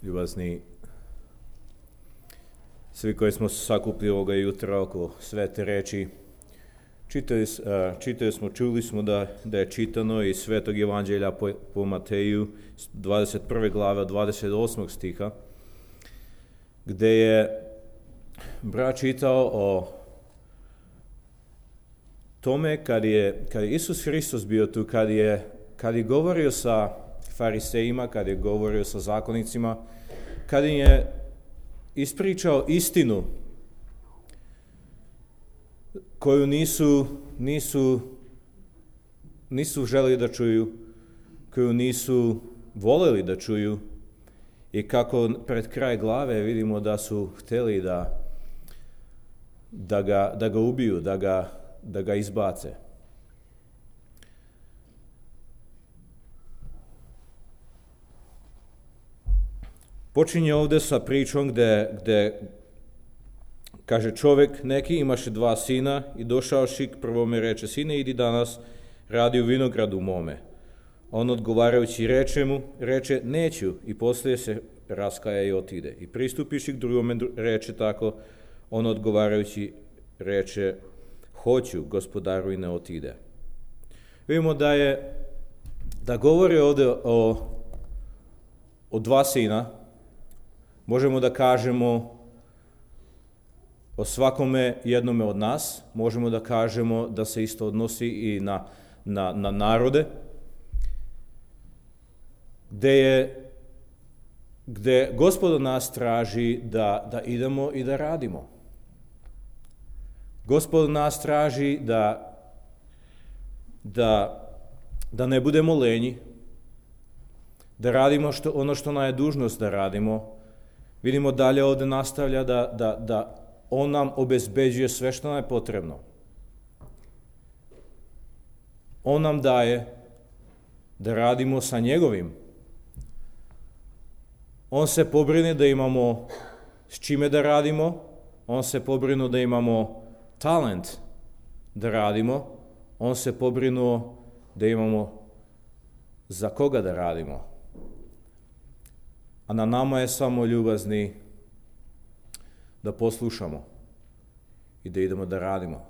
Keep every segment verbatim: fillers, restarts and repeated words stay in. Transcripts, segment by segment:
ljubazni svi koji smo se sakupili ovoga jutra oko svete reči. Čitali, čitali smo, čuli smo da, da je čitano iz Svetog Evanđelja po, po Mateju, dvadeset prve glave, dvadeset osmog stiha, gde je brat čitao o tome kad je, kad je Isus Hristos bio tu, kad je, kad je govorio sa farisejima, kad je govorio sa zakonicima, kad je ispričao istinu koju nisu, nisu, nisu želeli da čuju, koju nisu voljeli da čuju, i kako pred kraj glave vidimo da su htjeli da, da, ga, da ga ubiju, da ga, da ga izbace. Počinje ovdje sa pričom gdje, gdje kaže čovjek neki imaše dva sina i došavši k prvome reče: sine, idi danas radi u vinogradu mome. On odgovarajući reče mu, reče neću, i poslije se raskaja i otide. I pristupiši k drugome reče tako, on odgovarajući reče hoću, gospodaru, i ne otide. Vidimo da je, da govori ovdje o, o dva sina. Možemo da kažemo o svakome jednome od nas, možemo da kažemo da se isto odnosi i na, na, na narode, gde je, gde Gospod od nas traži da, da idemo i da radimo. Gospod od nas traži da, da, da ne budemo lenji, da radimo što, ono što nam je dužnost da radimo. Vidimo dalje ovdje nastavlja da, da, da on nam obezbeđuje sve što nam je potrebno. On nam daje da radimo sa njegovim. On se pobrine da imamo s čime da radimo, on se pobrinuo da imamo talent da radimo, on se pobrinuo da imamo za koga da radimo. A na nama je samo, ljubazni, da poslušamo i da idemo da radimo.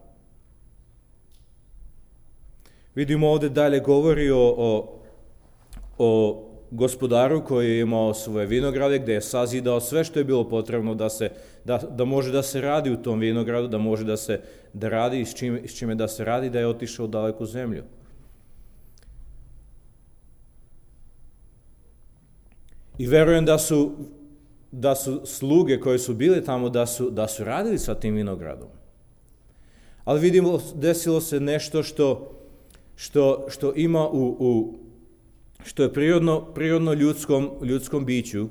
Vidimo ovdje dalje govori o, o, o gospodaru koji je imao svoje vinograde, gdje je sazidao sve što je bilo potrebno da, se, da, da može da se radi u tom vinogradu, da može da se da radi, s čime, s čime da se radi, da je otišao u daleku zemlju. I verujem da su, da su sluge koje su bile tamo, da su, da su radili sa tim vinogradom. Ali vidimo, desilo se nešto što, što, što ima u, u što je prirodno, prirodno ljudskom, ljudskom biću,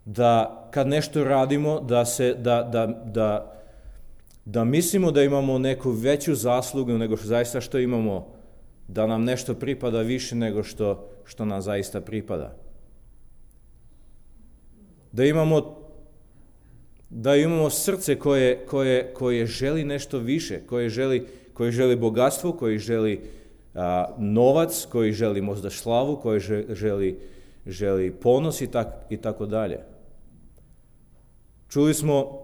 da kad nešto radimo, da, se, da, da, da, da mislimo da imamo neku veću zaslugu nego što zaista što imamo, da nam nešto pripada više nego što, što nam zaista pripada. Da imamo, da imamo srce koje, koje, koje želi nešto više, koje želi, koje želi bogatstvo, koje želi a, novac, koji želi možda slavu, koji želi, želi ponos i, tak, i tako dalje. Čuli smo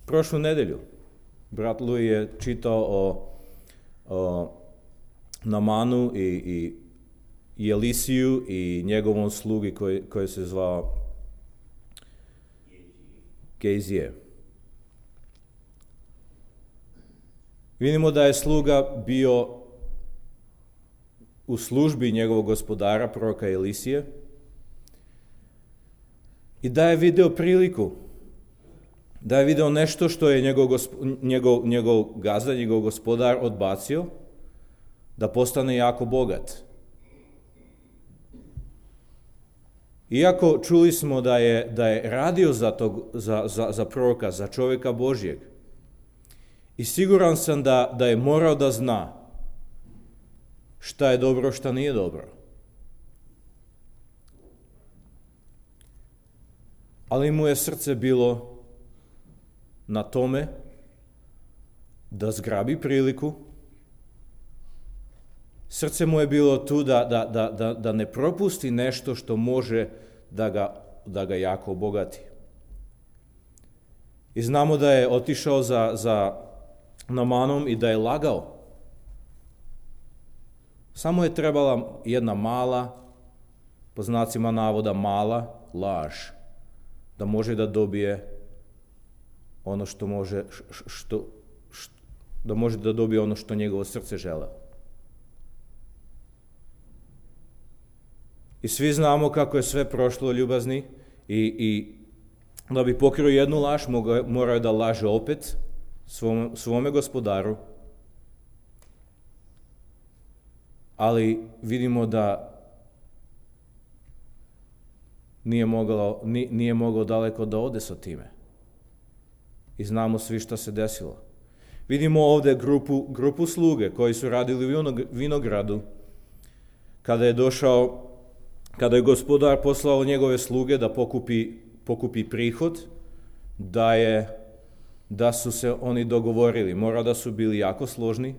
prošlu nedelju, brat Lui je čitao o, o Namanu i, i i Elisiju i njegovom slugi koji, koji se zvao Gejzije. Vidimo da je sluga bio u službi njegovog gospodara, proroka Elisije, i da je video priliku, da je video nešto što je njegov, njegov, njegov gazda, njegov gospodar odbacio, da postane jako bogat. Iako čuli smo da je, da je radio za, tog, za, za, za proroka, za čovjeka Božjeg, i siguran sam da, da je morao da zna šta je dobro, šta nije dobro. Ali mu je srce bilo na tome da zgrabi priliku Srce mu je bilo tu da, da, da, da, da ne propusti nešto što može da ga, da ga jako obogati. I znamo da je otišao za, za Namanom i da je lagao. Samo je trebala jedna mala, po znacima navoda mala, laž, da može da dobije ono što može, što, što, da može da dobije ono što njegovo srce žele. I svi znamo kako je sve prošlo, ljubazni, i, i da bi pokrio jednu laž, morao je da laže opet svom, svome gospodaru, ali vidimo da nije mogao, nije mogao daleko da ode sa time. I znamo svi šta se desilo. Vidimo ovdje grupu, grupu sluge koji su radili u vinogradu. Kada je došao, kada je gospodar poslao njegove sluge da pokupi, pokupi prihod, da, je, da su se oni dogovorili. Mora da su bili jako složni,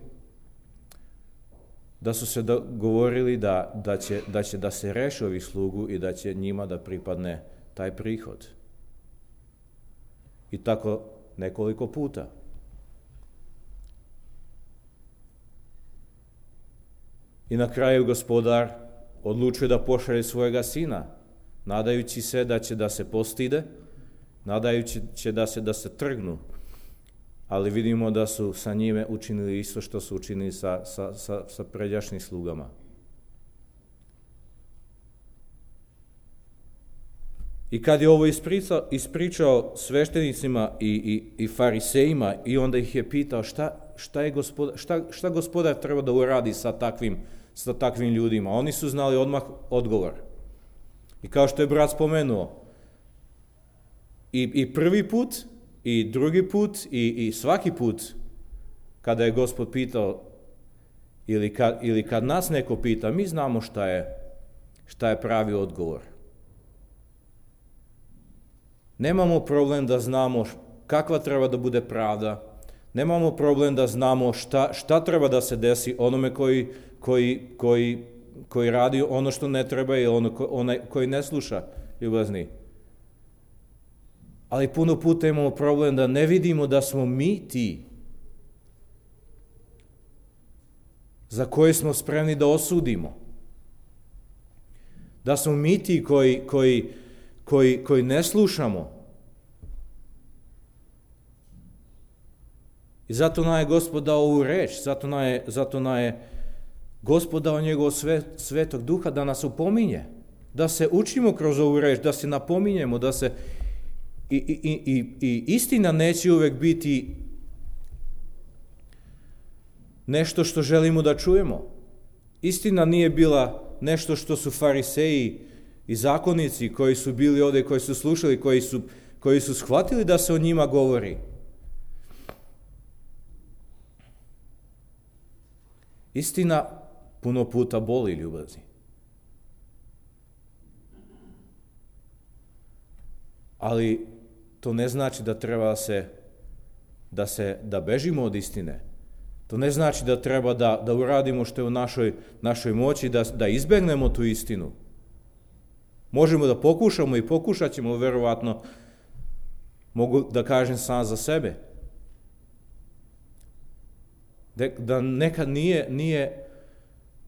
da su se dogovorili da, da, će, da će da se reši ovi slugu i da će njima da pripadne taj prihod. I tako nekoliko puta. I na kraju gospodar odlučuje da pošalje svojega sina, nadajući se da će da se postide, nadajući će da se da se trgnu. Ali vidimo da su sa njime učinili isto što su učinili sa, sa, sa, sa pređašnjim slugama. I kad je ovo ispričao, ispričao sveštenicima i, i, i farisejima i onda ih je pitao šta, šta, je gospodar, šta, šta gospodar treba da uradi sa takvim, sa takvim ljudima. Oni su znali odmah odgovor. I kao što je brat spomenuo, i, i prvi put, i drugi put, i, i svaki put, kada je Gospod pitao, ili kad, ili kad nas neko pita, mi znamo šta je, šta je pravi odgovor. Nemamo problem da znamo kakva treba da bude pravda, nemamo problem da znamo šta, šta treba da se desi onome koji, koji, koji, koji radi ono što ne treba i ono ko, onaj koji ne sluša, ljubazni. Ali puno puta imamo problem da ne vidimo da smo mi ti za koje smo spremni da osudimo. Da smo mi ti koji, koji, koji, koji ne slušamo. I zato nam je Gospod dao ovu reč, zato nam je, zato nam je Gospod dao njegovog sve, svetog duha da nas upominje, da se učimo kroz ovu reč, da se napominjemo, da se I, i, i, i istina neće uvek biti nešto što želimo da čujemo. Istina nije bila nešto što su fariseji i zakonici koji su bili ovdje, koji su slušali, koji su, koji su shvatili da se o njima govori. Istina puno puta boli, ljubazni. Ali to ne znači da treba se, da se, da bežimo od istine. To ne znači da treba da, da uradimo što je u našoj, našoj moći, da, da izbegnemo tu istinu. Možemo da pokušamo i pokušat ćemo, verovatno, mogu da kažem sam za sebe. Da, da nekad nije, nije,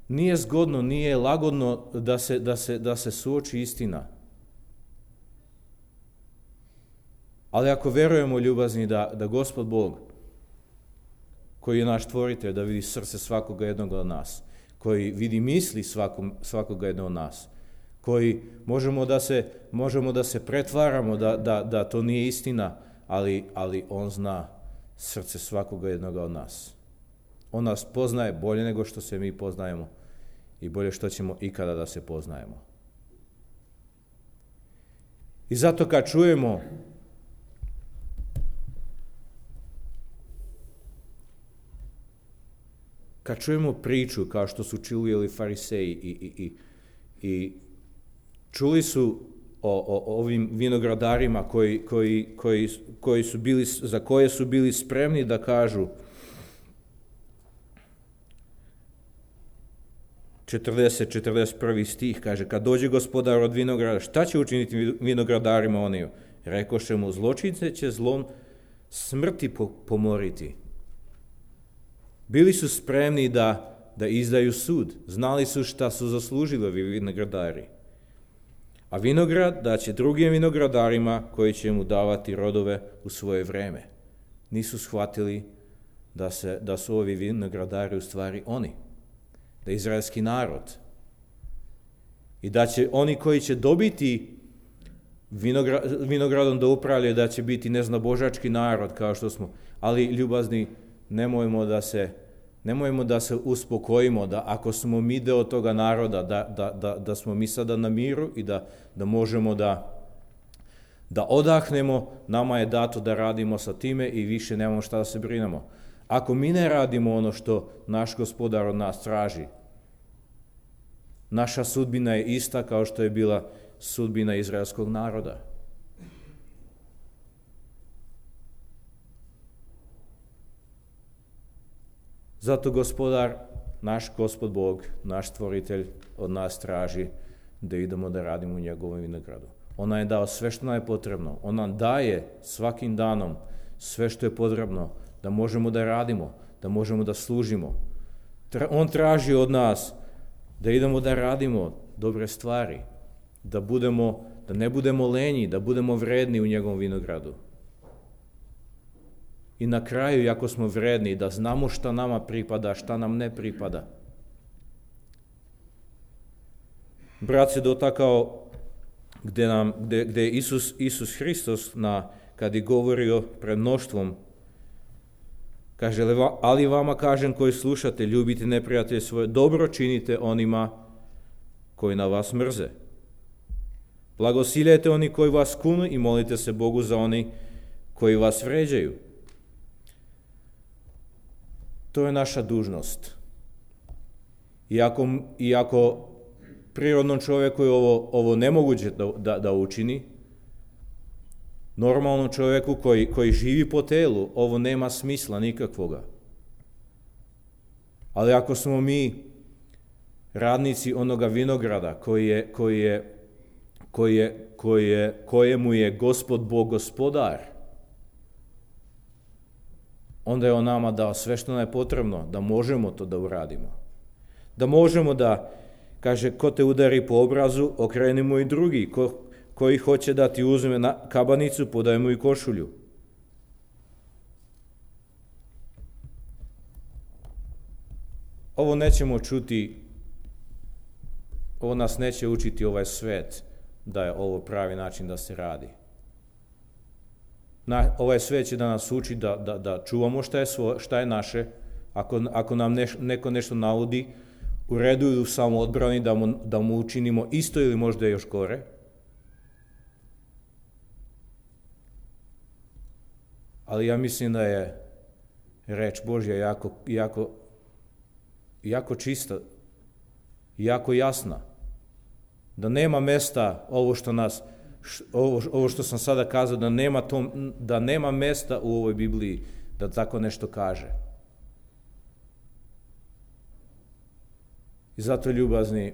nije zgodno, nije lagodno da se, da se, da se suoči istina. Ali ako verujemo, ljubazni, da, da Gospod Bog, koji je naš tvoritelj, da vidi srce svakoga jednog od nas, koji vidi misli svakom, svakoga jednog od nas, koji možemo da se, možemo da se pretvaramo da, da, da to nije istina, ali, ali on zna srce svakoga jednog od nas. On nas poznaje bolje nego što se mi poznajemo i bolje što ćemo ikada da se poznajemo. I zato kad čujemo kad čujemo priču kao što su čuli fariseji i, i, i, i čuli su o, o ovim vinogradarima koji, koji, koji, koji su bili, za koje su bili spremni da kažu četrdeset četrdeset prvi stih, kaže, kad dođe gospodar od vinograda, šta će učiniti vinogradarima oni? Rekoše mu, zločince će zlom smrti pomoriti. Bili su spremni da, da izdaju sud. Znali su šta su zaslužili ovi vinogradari. A vinograd da će drugim vinogradarima koji će mu davati rodove u svoje vreme. Nisu shvatili da, se, da su ovi vinogradari u stvari oni. Da je izraelski narod. I da će oni koji će dobiti vinograd, vinogradom da upravljaju, da će biti neznabožački narod, kao što smo. Ali, ljubazni, nemojmo da se, nemojmo da se uspokojimo, da ako smo mi deo toga naroda, da, da, da, da smo mi sada na miru i da, da možemo da, da odahnemo, nama je dato da radimo sa time i više nemamo šta da se brinemo. Ako mi ne radimo ono što naš gospodar od nas traži, naša sudbina je ista kao što je bila sudbina izraelskog naroda. Zato gospodar, naš Gospod Bog, naš stvoritelj od nas traži da idemo da radimo u njegovom vinogradu. On je dao sve što nam je potrebno. On nam daje svakim danom sve što je potrebno da možemo da radimo, da možemo da služimo. On traži od nas da idemo da radimo dobre stvari, da, budemo, da ne budemo lenji, da budemo vredni u njegovom vinogradu. I na kraju, ako smo vredni, da znamo šta nama pripada, šta nam ne pripada. Brat se dotakao gde, nam, gde, gde je Isus, Isus Hristos, na, kad je govorio pred mnoštvom, kaže, ali vama kažem koji slušate, ljubite neprijatelje svoje, dobro činite onima koji na vas mrze. Blagosiljajte oni koji vas kunu i molite se Bogu za oni koji vas vređaju. To je naša dužnost. Iako, iako prirodnom čovjeku je ovo, ovo nemoguće da, da, da učini, normalnom čovjeku koji, koji živi po telu, ovo nema smisla nikakvoga. Ali ako smo mi radnici onoga vinograda koji je, koji je, koji je, koji je, kojemu je Gospod Bog gospodar, onda je on nama dao sve što nam je potrebno da možemo to da uradimo. Da možemo da, kaže, ko te udari po obrazu, okrenimo i drugi, ko, koji hoće da ti uzme na kabanicu, podaj mu i košulju. Ovo nećemo čuti, ovo nas neće učiti ovaj svet da je ovo pravi način da se radi. Na, ovaj svet će da nas uči da, da, da čuvamo šta je, svo, šta je naše. Ako, ako nam neš, neko nešto navodi, u redu ili u samoodbrani da mu, da mu učinimo isto ili možda još gore. Ali ja mislim da je reč Božja jako, jako, jako čista, jako jasna. Da nema mesta ovo što nas, ovo, ovo što sam sada kazao, da nema, to, da nema mesta u ovoj Bibliji da tako nešto kaže. I zato, ljubazni,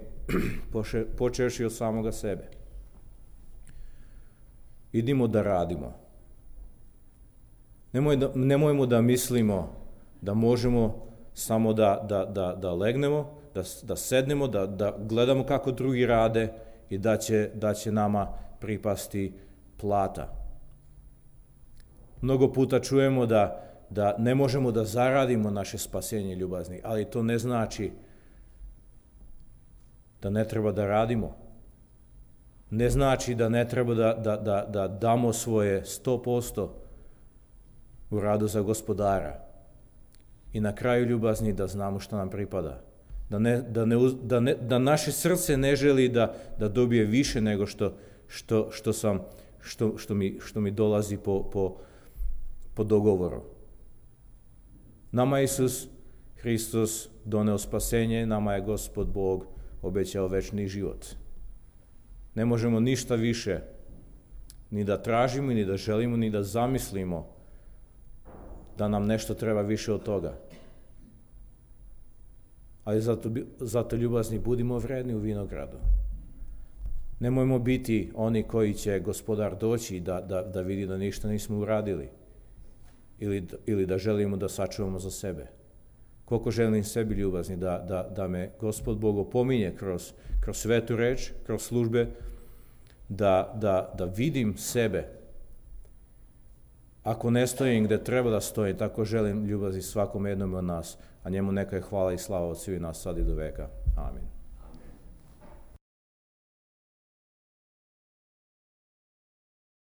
počevši od samoga sebe, idimo da radimo. Nemoj da, nemojmo da mislimo da možemo samo da, da, da, da legnemo, da, da sednemo, da, da gledamo kako drugi rade i da će, da će nama pripasti plata. Mnogo puta čujemo da, da ne možemo da zaradimo naše spasenje, ljubazni, ali to ne znači da ne treba da radimo. Ne znači da ne treba da, da, da, da damo svoje sto posto u radu za gospodara. I na kraju, ljubazni, da znamo što nam pripada. Da, ne, da, ne, da, ne, da naše srce ne želi da, da dobije više nego što, što, što, sam, što, što, mi, što mi dolazi po, po, po dogovoru. Nama Isus Hristos doneo spasenje, nama je Gospod Bog obećao večni život. Ne možemo ništa više ni da tražimo, ni da želimo, ni da zamislimo da nam nešto treba više od toga. ali zato, zato ljubazni budimo vredni u vinogradu. Nemojmo biti oni koji će Gospodar doći da, da, da vidi da ništa nismo uradili ili, ili da želimo da sačuvamo za sebe. Koliko želim sebi ljubazni da, da, da me Gospod Bog opominje kroz, kroz svetu reč, kroz službe, da, da, da vidim sebe. Ako ne stojim gde treba da stojim, tako želim ljubazni svakom jednom od nas, a njemu neka je hvala i slava od svih nas sad i do veka. Amin.